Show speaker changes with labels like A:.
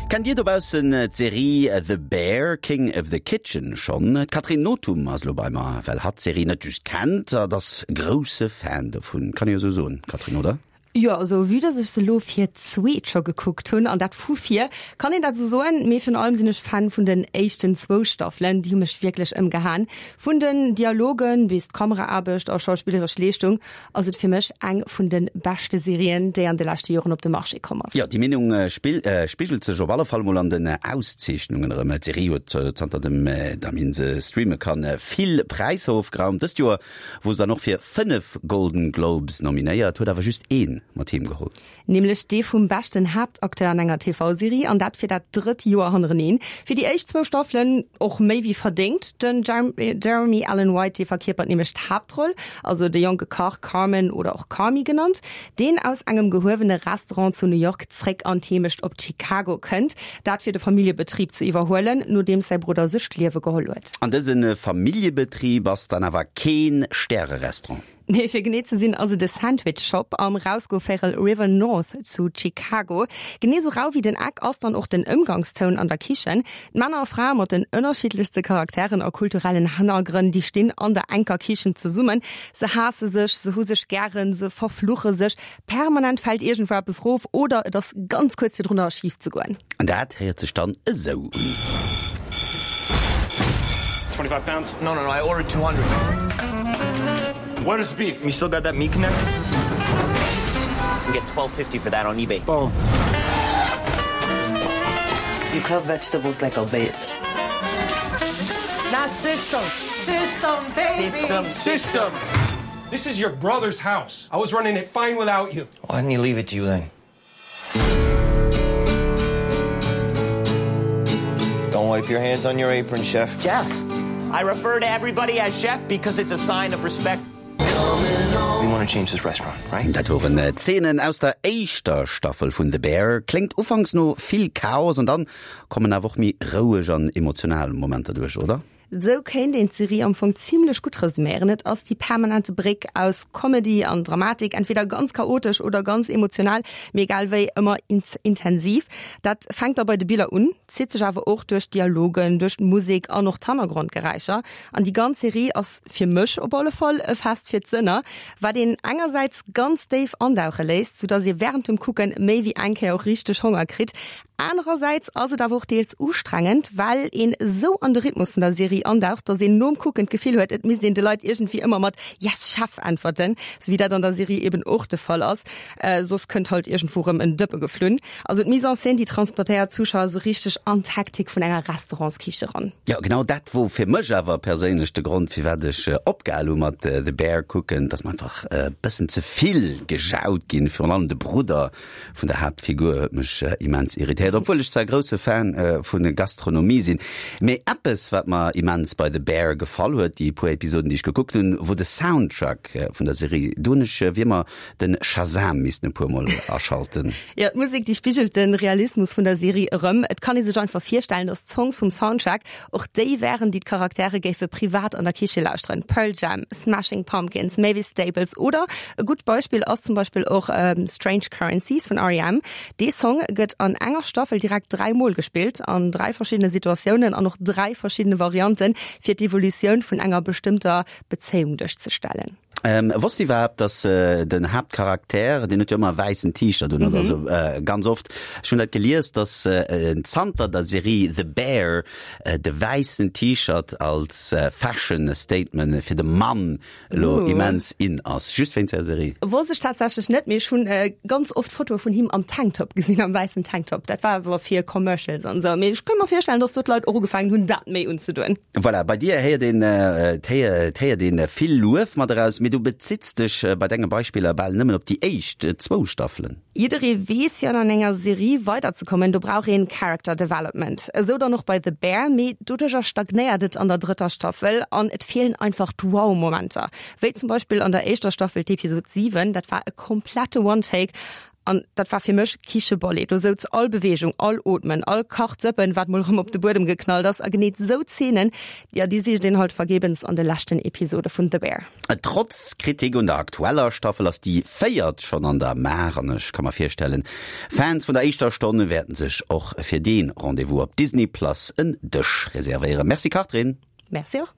A: Kennt Dir dobaussen d'Serie The Bear, King of the Kitchen schonn? D'Catherine Nothum ass elo bei mer, well hatt d'Serie net just kennt, hatt ass grousse Fan dovun. Kann ee jo sou soen, Catherine, oder?
B: Jo, also vue dass ech se elo fir d'zweet scho gekuckt hunn, an dat vu vir, kann een dat esou soen. Mee virun allem sinn ech Fan vun den éischten zwou Staffelen, déi hu mech wierklech ëmgehaen. Vun den Dialogen bis d'Kameraaarbecht a schauspilleresch Leeschtung ass et fir mech eng vun de beschte Serien, déi an de leschte Joren op de Marché komm ass.
A: Jo, déi Meenung spigelt sech op alle Fall mol an den Auszeechnungen erëm. D'Serie huet zanter dem datt een se streame kann vill Präisser ofgeraumt. Dëst Joer wor se dann och fir 5 Golden Globes nominéiert, huet awer just ee mat heem geholl.
B: Nämlech dee vum beschten Haaptacteur an enger TV-Serie, an dat fir dat drëtt Joer hannereneen. Fir déi éischt zwou Staffelen och méi wéi verdéngt. Den Jeremy Allen White, dee verkierpert nämlech d'Haaptroll, also de jonke Kach Carmen oder och Carmy genannt, deen aus engem gehuewene Restaurant zu New York zréck an d'Heemecht op Chicago kënnt, dat fir de Familljebetrib ze iwwerhuelen, nodeems säi Brudder sech d'Liewe geholl huet.
A: An dëse Familljebetrib ass dann awer keen Stärerestaurant.
B: Nee, fir genee ze sinn ass et e Sandwich Shop am Rausgovéirel River North zu Chicago. Genee sou rau wéi den Eck ass dann och den Ëmgangstoun an der Kichen. D'Männer a Frae mat den ënnerschiddlechste Charakteren a kulturellen Hannergrënn, déi stinn an der enker Kichen zesummen. Se haasse sech, se hu sech gären, se verfluche sech. Permanent fält iergendwou eppes rof oder et ass ganz kuerz virdrunner schif ze goen.
A: An dat héiert sech dann esou un.
C: 25 pounds? No, no, no, I ordered 200. Where is beef? You still got that meat connect? You can get 12.50 for that on eBay. Boom. You cut vegetables like a bitch.
D: Not system. System, baby.
C: System. System. This is your brother's house. I was running it fine without you. Why didn't he leave it to you then? Don't wipe your hands on your apron, chef.
D: Jeff.
C: I refer to everybody as chef because it's a sign of respect. We want to change this restaurant, right?
A: Dat woren Zeenen aus der éischter Staffel vun The Bear. Kléngt ufanks no vill Chaos an dann kommen awer och méi roueg an emotional Momenter duerch, oder?
B: Esou kéint een d'Serie am Fong zimlech gutt resuméieren, Et ass déi permanente Bréck aus Comedy an Dramatik, entweder ganz chaotesch oder ganz emotional, mee egal wéi ëmmer intensiv. Dat fänkt da bei de Biller un, zitt sech awer och duerch d'Dialogen, duerch d'Musek an och d'Hannergrondgeräischer. An déi ganz Serie ass fir mech op alle Fall e Fest fir d'Sënner, wat een engersäits ganz déif andauche léisst, soudass ee wärend dem Kucken méi wéi eng Kéier och richteg Honger kritt. Anerersäits ass et awer och deels ustrengend, well een esou an de Rhythmus vun der Serie andaucht, dass een nom Kucken d'Gefill huet, et misst een de Leit iergendwéi ëmmer mat Yes Chef äntwerten, sou wéi dat an der Serie eben och de Fall ass, soss kënnt halt iergendwou rëm en Dëppe geflunn. Also d'Mise en scène, déi transportéiert d'Zuschauer esou richteg an d'Hektik vun enger Restaurantskiche ran.
A: Jo, genau dat wor fir mech awer perséinlech de Grond, firwat ech opgehal hu mat The Bear kucken, dass mer einfach e bëssen ze vill gejaut ginn, virun allem de Brudder vun der Haaptfigur huet mech immens irritéiert, obwuel ech zwar grousse Fan vu Gastronomie sinn. Mee eppes wat mer immens bei The Bear gefall huet, déi puer Episoden déi ech gekuckt hunn, wor de Soundtrack vun der Serie. Do hunn ech wéi ëmmer den Shazam missten e puer mol aschalten.
B: Jo, d'Musek déi spigelt de Realismus vun der Serie erëm. Et kann ee sech einfach virstellen, dass d'Songs vum Soundtrack och déi wären, déi d'Charaktere géife privat an der Kiche lauschteren, Pearl Jam, Smashing Pumpkins, Mavis Staples oder e gutt Beispill ass zum Beispill och Strange Currencies vun REM. Dee Song gëtt an enger Staffel direkt 3 mol gespillt, an 3 verschiddene Situatiounen an och 3 verschiddene Varianten, fir d'Evolutioun vun enger bestëmmter Bezéiung duerchzestellen.
A: Wosst iwwerhaapt, dass den Haaptcharakter, deen huet jo ëmmer e wäissen T-Shirt un, oder also ganz oft, ech hunn dat gelies, dass zanter der Serie The Bear de wäissen T-Shirt als Fashion Statement fir de Mann elo immens in ass, just wéinst der Serie.
B: Wosst ech tatsächlech net, mee ech hunn ganz oft Fotoe vun him am Tanktop gesinn, am wäissen Tanktop. Dat war awer fir Commercials an esou, mee ech kënnt mer virstellen, dass do d'Leit och ugefaangen hunn, dat méi unzedoen.
A: Voilà, bei dir héiert een, et héiert een vill Luef mat eraus, mee du bezitts dech bei denge Beispiller bal nëmmen op déi éischt zwou Staffelen.
B: Jidderee weess jo, an enger Serie weiderzekommen, do brauch een Character Development. Esou dann och bei The Bear, mee doduercher stagnéiert et an der drëtter Staffel an et feelen einfach d'Wow-Momenter. Wéi zum Beispill an der éischter Staffel d'Episod 7, dat war e komplette One-Take. An dat war fir mech Kichebolli. Do souz all Beweegung, all Ootmen, all Kachzëppen, wat mol erëm op de Buedem geknallt ass. A genee esou Zeenen, jo, déi sicht een halt vergebens an de leschten Episode vun The Bear.
A: Trotz Kritik un der aktueller Staffel ass déi véiert schonn an der Maach an ech ka mer virstellen, Fans vun der éischter Stonn wäerten sech och fir dee Rendez-vous op Disney Plus en Dësch reservéieren. Merci Catherine.
B: Merci och.